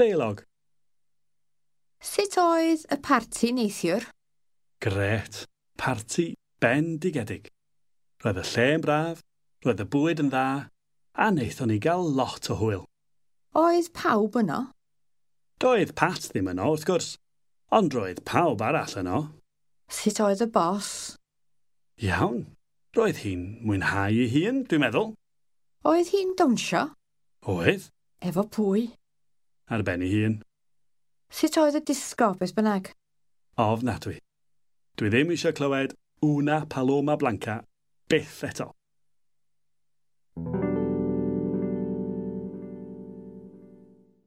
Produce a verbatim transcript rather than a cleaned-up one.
Deialog. Sut oedd y parti neithiwr? Grêt. Parti bendigedig. Roedd y lle'n braf, roedd y bwyd yn dda, a wnaethon ni gael lot o hwyl. Oedd pawb yno? Doedd Pat ddim yno, wrth gwrs, ond roedd pawb arall yno. Sut oedd y bos? Iawn. Roedd hi'n mwynhau ei hun, dwi'n meddwl. Oedd hi'n dawnsio? Oedd. Efo pwy? Ar ben ei hun. Sut oedd y disgo, beth bynnag? Ofnadwy. Dwi ddim eisiau clywed Una Paloma Blanca byth eto.